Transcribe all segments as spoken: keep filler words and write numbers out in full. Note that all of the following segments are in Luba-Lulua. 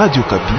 Radio Okapi.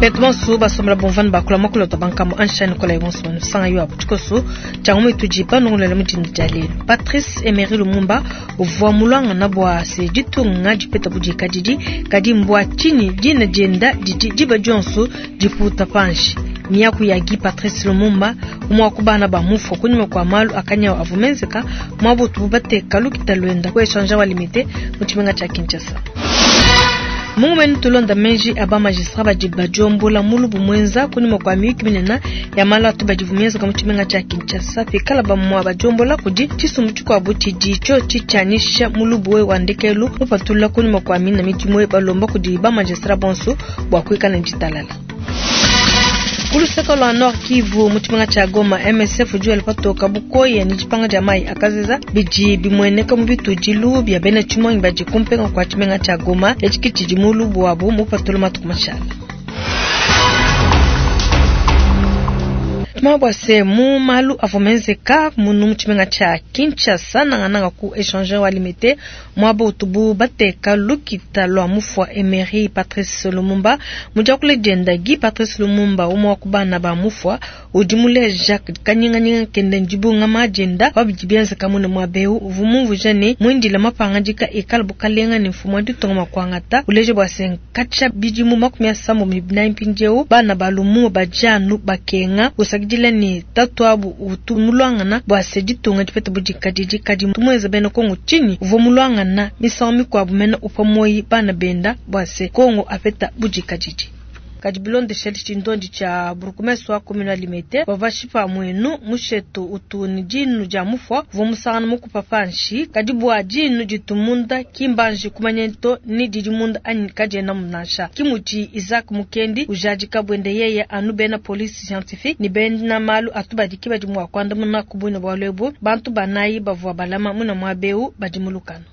Betu bonso basombela bomvani bakula makulota bankambo anshani kola bonso banusanga yo abutikoso tyango itudi panongolele mudinda dia lelu. Patrice Emery Lumumba uvua mulwangana bua se ditunga dipeta budikadidi kadi mbua tshinyi dina dienda didi diba dionso diputa panshi. Miaku ya Guy Patrice Lumumba umwe wa bana ba mufwa kunyuma kwa malu akanyawo avua menzeka mwabutu bateka lukita lwenda ku échangeur wa Limete mu tshimenga tshia Kinshasa. Mungu menu tulonda menji aba magistrat badi badiombola mulubu mwenza kunyuma kwa miyuki minene ya malu atu badivu mienza mu tshimenga tshia Kinshasa pikala bamwa badiombola kudi tshisumbu tshikuabu tshidi tsho tshitshianyisha mulubu we wa ndekelu mupatula kunyuma kwa mina midimu balomba kudi ba magistrat bonso bua kuikala ne ditalala. Ku luseke lwa Nord Kivu mu tshimenga tshia Goma, M S F udi wela patoka bukoya ne dipanga dia mayi akazeza bidi bimueneka mu bitudilu bia bena tshimonyi badi kumpenga kwa tshimenga tshia Goma etshi tshidi mulubu wabu mupatula matuku mashala. Mabwase mu malu avua menzeka munu mu tshimenga tshia Kinshasa nangananga ku échangeur wa Limete mwaba utubu bateka lukita lwa mufwa Emery Patrice Lumumba mudiakule dienda Guy Patrice Lumumba umwe wa kubana ba mufwa udi muleja kanyinganyinga kende ndibunga majenda wabidi bienzeka mune mwabeu uvua mumvuija ne mwindila mapangadika ikala bukalenga ne mfumu wa ditunga makuangata uleje bwa se nkatsha bidimu makumi asambo mibinayi mpindieu bana ba Lumumba badianu bakenga usakidila ni tatu abu utu mulwangana bwa se ditunga dipeta budikadidi kadi tumweza bena Kongo chini uvua mulwangana misango mikuabu mena upa moyi bana benda bwa se Kongo apeta budikadidi. Kadi bilondesha tshindondi tsha burkumeswa wa commune wa Limete bavashipa mwenu mushetu utu ni dinu dia mufwa uvua musangana mukupa panshi kadi bua dinu ditumunda kimbanji kumanyento ni didi munda anyi kadiena munasha kimuti Isaac Mukendi ujadika bwende yeye anu bena police scientifique ni bena malu atubadiki badi mwa kwanda muna kubwina bwa lwebu bantu banayi bavua balama muna mwabeu badi mulukano.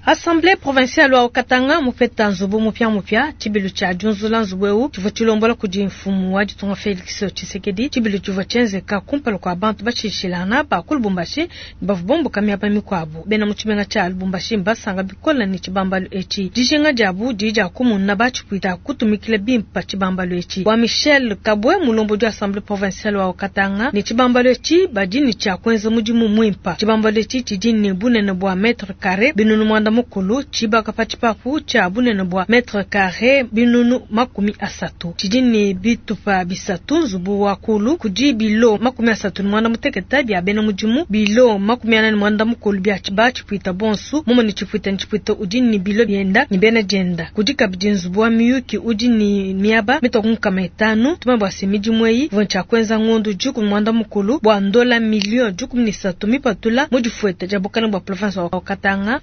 Assemblée provinciale wa Katanga mupeta nzubu mupya mupya tshibilu tshia diunzula nzubu eu tshivua tshilombola kudi mfumu wa ditunga Félix Tshisekedi tshibilu tshivua tshienzeka kumpala kua bantu batshishilana ba ku Lubumbashi bavua bomboka miaba mikuabu bena mu tshimenga tshia Lubumbashi mbasanga bikola ne tshibambalu etshi dijinga diabu didi dia kumuna batshipwita kutumikila bimpa tshibambalu etshi wa Michel Kabwe mulombodi wa Assemblée provinciale wa Katanga ne tshibambalu etshi badi ne tshia kuenza mudimu muimpa tshibambalu etshi tshidi ne bunene bua mètre carré binunu mwanda mukulu tshibaka pa tshipapu tshia bunene bua mètre carré binunu makumi asatu tshidi ne bitupa bisatu nzubu wa kulu kudi bilo makumi asatu ne mwanda muteketa bia bena mudimu bilo makumi anane ne mwanda mukulu bia tshiba tshipwita bonsu mumwe ne tshipwita ne tshipwita udi ne bilo bienda ne bena dienda kudi kabidi nzubu wa miyuki udi ne miaba mitoku nkama etanu tuma bua se midimu eyi ivua tshia kuenza ngondu dikumi mwanda mukulu bua ndola milio dikumi ne isatu mipatula mu difueta dia bukalenge bua province wa Katanga.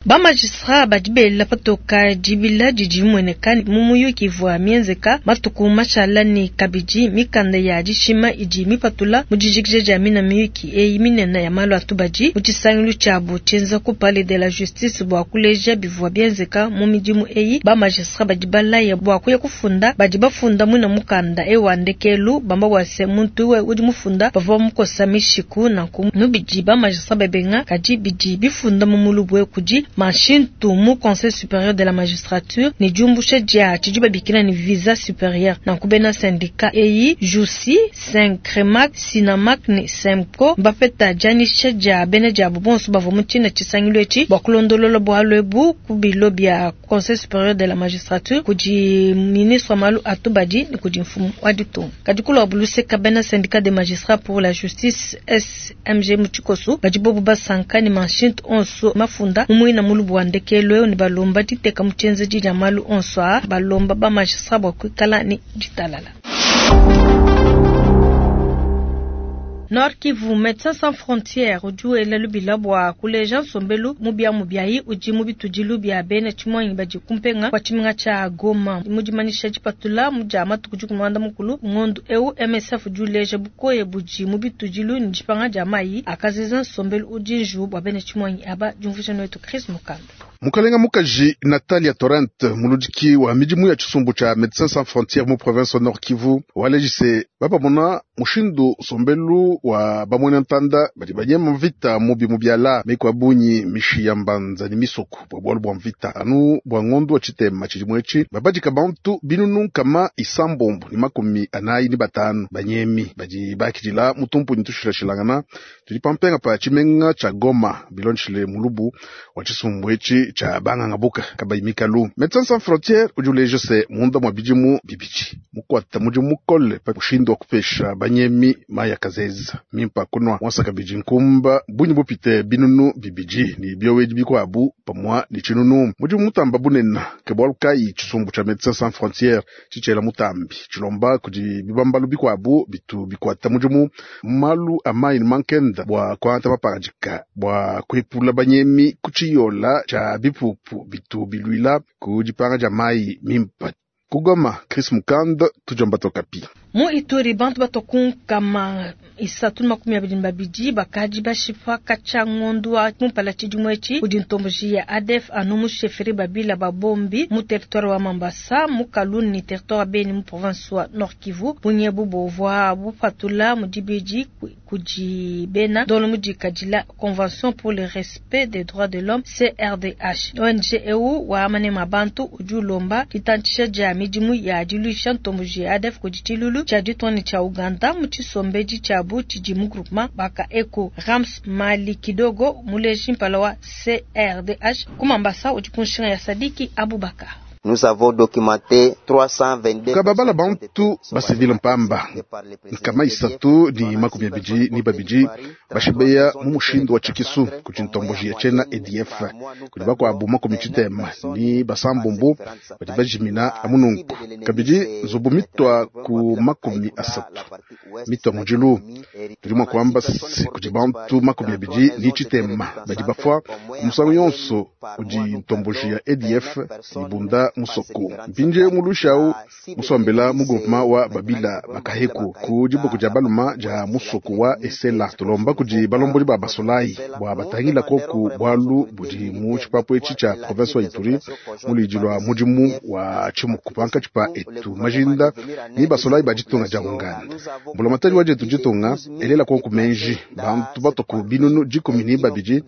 Ba magistrat badi bela patoka dibila didi mueneka mu muyuki ivua mienzeka matuku mashala ne kabidi mikanda ya dishima idi mipatula mu dijikija dia mina miyuki eyi minene ya malu atubadi mu tshisangilu tshiabu tshienza ku palais de la justice bua kuleja bivua bienzeka mu midimu eyi. Ba magistrat badi balaya bua kuya kufunda badi bafunda mwina mukanda ewu wa ndekelu bamba bua se muntu we udi mufunda bavua bamukosa mishiku nanku mubidi ba magistrat babenga kadi bidi bifunda mu mulubwe kudi Mashintu mu Conseil supérieur de la magistrature ni diumbusha dia tshidi babikila ni visa supérieur nanku bena syndicat eyi Jusi, Saint-Cremac, Sinamac ni Semco bapeta dianyisha dia bena diabu bonso bavua mu tshina tshisangilu etshi bua kulondolola bualu ebu ku bilo bia Conseil supérieur de la magistrature kudi ministre wa malu atubadi ni kudi mfumu wa ditunga. Kadi kulua buluseka bena syndicat des magistrats pour la justice S M G mu tshikoso badi bobu basanka ni mashintu onso mafunda mu mwina mulubu wa ndekelu eo ni balomba diteka mu tshienzedi dia malu onso a balomba ba magistrat bua kuikala ni ditalala. Nord Kivu, Médecins Sans Frontières udi wela lubila bua kuleja nsombelu mubia mubiayi udi mu bitudilu bia bena tshimonyi badi kumpenga kwa tshimenga tshia Goma. Mu dimanyisha dipatula mu dia matuku dikumi muanda mukulu ngondu eu M S F udi uleja bukoye budi mu bitudilu ne dipanga dia mayi akaziza nsombelu udi nju bua bena tshimonyi aba diumvuija netu Chris Mukanda. Mukalenga mukaji Natalia Torrent, muludiki wa midimu ya tshisumbu tshia Médecins Sans Frontières mu province Nord Kivu, walejise bapamona mushindu sombelu wa bamwena ntanda badi banyema mvita mubi mu biala meko abunyi mishi ya mbanza ni misoko bwa bwalu bwa mvita anu bwa ngondo wa tshitema tshidimu etshi babadika bantu binunu nkama isambombo ni makumi anayi ni batanu banyemi badi bakidila mutumpu tushilashilangana tudi pampenga pa tshimenga tshia Goma bilonshile mulubu wa tshisumbu etshi tshia banganga buka kabayi mikalu. Médecins Sans Frontières udi uleja se munda mwa bidimu bibidi mukwata mudimu mukole pa mushindu wa kupesha banyemi maya kazeza mimpa kunwa mwasaka bidi nkumba bunyi bupite binunu bibidi ni byowedi bikwabu pamwa ni tshinunu mudimu mutamba bunena ke bwalu kayi tshisumbu tshia Médecins Sans Frontières tshitshela mutambi tshilomba kudi bibambalu bikwabu bitu bikwata mudimu malu amayi ni mankenda bwa kwanta mapangadika bwa kuepula banyemi kutshiyola tshia bipupu bitu bilwila ku dipanga dia mayi mimpa. Kugoma, Chris Mukanda, tujamba tokapi. Mu Ituri bantu batokunkama isatu makumi abidi na babidi bakadi bashipa katshia ngondu wa kumpala tshidimu etshi kudi ntomboji ya A D F anu mu chefferie babila babombi mu territoire wa Mambasa mu Kaluni ni territoire wa Beni mu province wa Nord Kivu. Bunyebu bovwa bupatula mu dibidi kudi bena dolo mu dikadila Convention pour le respect des droits de l'homme C R D H. O N G E U wa manema bantu udi ulomba ditantshisha dia midimu ya diluisha ntomboji ya A D F kudi tshilulu tshia ditoni tshia Uganda mu tshisombedi tshiabu tshidi mu groupement baka eko Rams Mali Kidogo muleji mpala wa C R D H kumambasa udi kunshinga ya Sadiki Abubakar. Nous avons documenté trois cent vingt-deux kababala bantu basivile mpamba nkama isatu ni makumi abidi ni babidi bashibeya mu mushindu wa tshikisu kudi ntomboji ya tshena A D F kudi bakuabu makumi tshitema ni basambombo badi bajimina amununku kabidi nzubu mitwa ku makumi asatu mitwa mudilu tudi mua kuamba kudi bantu makumi abidi ni tshitema badi bafua musangu yonso udi ntomboji ya A D F ibunda musoko mpinje mulushau musombela mu groupement wa babila bakaheku ku dibuku dia baluma dia musoko wa esela tulomba kudi balomboli ba basolayi bwa batangila koku bwalu budi mu tshipapu etshi tshia province wa Ituri mulidi lwa mudimu wa tshimuku pankatshi pa etu majinda ni basolayi ba ditunga dia Uganda mbulamatadi wa dietu ditunga elela koku menji bantu batoku binunu dikumi ni babidi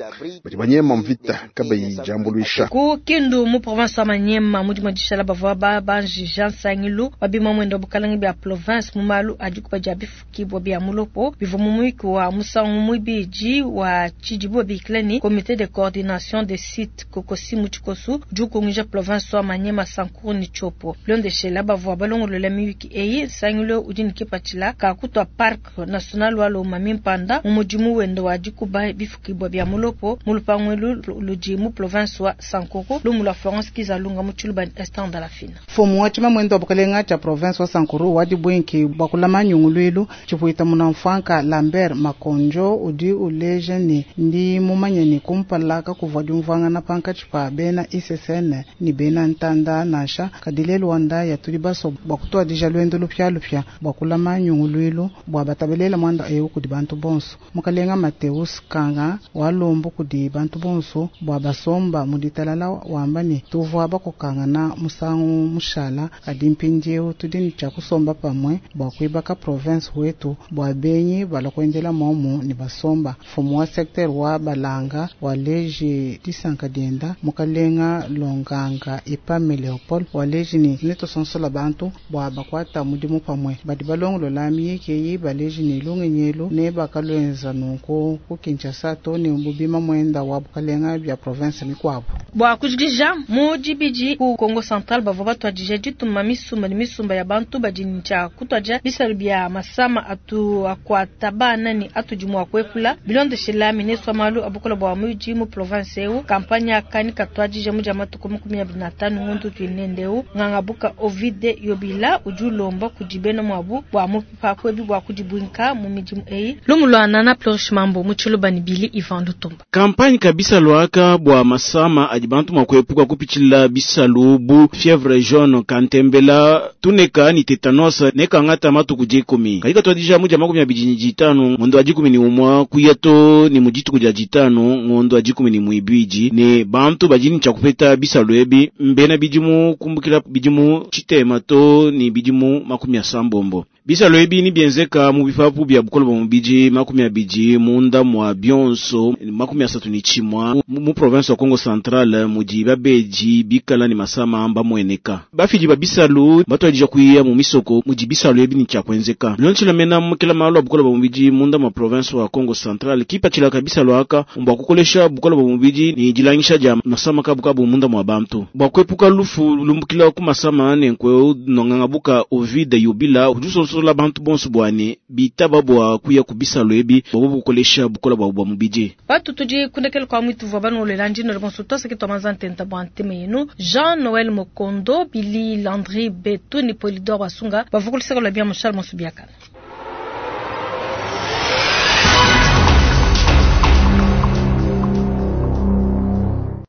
badi banyema mvita kabayi diambuluisha ku Kindu mu province wa Manyema mudi madishala bavua babanji Jean Sangilu babima mwendo bukalangi bya province mu malu adikuba dia bifukibwa bya mulopo bivua mu mwiki wa musangu mwibidi wa tshidibu bikilani comité de coordination des sites kokosi mu tshikosu udi province wa Manyema Sankuru ni Tshopo bilondeshela bavua balongolola miyuki eyi Sangilu udi ne kipatshila ka kutwa parc national wa Lomami Mpanda mu mudimu wendo wa dikuba bifukibwa bya mulopo mu lupangu ludi mu province wa Sankuru lumu lwa Florence Kizalunga mu tshiluba Esther Dalafina. Fomu wa tshima mwendo wa bukalenga tshia province wa Sankuru wa dibwenki bwa kulama nyungulwilu tshipuita munamfwanka Lambert Makonjo udi uleja ni ndi mumanye ni kumpala kakuvua diumvuangana pankatshi pa bena I C C N ni bena ntanda nansha kadile Rwanda ya tudi baso bwa kutuadija lwendo lupya lupya bwa kulama nyungulwilu bwa batabelela mwanda ewu kudi bantu bonso mukalenga Mateus Kanga walombo kudi bantu bonso bwa basomba muditalala wamba ni tuvua bakokangana musangu mushala kadi mpindieu tudi ni tshia kusomba pamwe bwa kuibaka province wetu bwa benyi balakuendela momu ni basomba fumu wa secteur wa balanga waleji disanka dienda mukalenga longanga ipame Leopold waleji ni netosonsola bantu bwa bakwata mudimu pamwe badi balongolola miyekeyi baleji ni lungenyelu ne bakalwenza nunku ku Kinshasa to ni bubima mwenda wa bukalenga bya province mikwabo bwa kujikija mu dibidi ku Kongo Central bavua batwadija dituma misumba ni misumba ya bantu badi tshia kutwadija bisalu bya masama atu akwata bana ni atudi mua kuepula bilondeshela ministre wa malu abukola bwa muji mu province eu kampanya akani katwadija muja matuku makumi abiri na tanu ngundu tuinendeu ngangabuka Ovide Yobila udi ulomba kudi bena mwabu bwa mupipa kwebi bwa kudibwinka mu midimu eyi lumulwana na Flourish Mambo mu tshiluba ni Bili Ivan Lutumba kampanye kabisa lwaka bwa masama adi bantu mwa kuepuka kupitshila bisalu bisalu bu fievre jaune, kantembela, tuneka ni tetanos ne kangata matuku dikumi. Kadi katuadija mu dia makumi abidi ne ditanu ngondo wa dikumi ne umua kuya to ni mu dituku dia ditanu ngondo wa dikumi ne muibidi ne bantu badi ne tshia kupeta bisalu ebi mbena bidimu kumbukila bidimu tshitema to ni bidimu makumi asambombo. Bisalu ebi ni bienzeka mu bipapu bia bukole bwa mubidi makumi abidi munda mwa bionso makumi asatu ni tshimua mu province wa Kongo Central mudi babedi bikala ni masama bamueneka. Bafidi ba bisalu batuadija kuya mu misoko mudi bisalu ebi ni tshia kuenzeka. Bilonshila mena mukela malu a bukole bwa mubidi munda mwa province wa Kongo Central kipatshila bisalu aka bua kukolesha bukole bwa mubidi ni dilangisha dia masama kabu kabu munda mwa bantu. Bua kuepuka lufu lumbukila ku masama nenkwe nonganga buka Ovide Yubila udi usonsola bantu bonso bwane bitaba bua kuya ku bisalu ebi bua bukolesha bukola bwa bwa mubidi. Batu tudi kundekele kwa mwitu vwa banu ndino bonso twasa kitwa manza ntenta bwa nteme yenu Jean Noël Mokondo Billy Landry Betu ni Polidor Basunga bavukulisaka lwa bia Moshal Monsubiakana.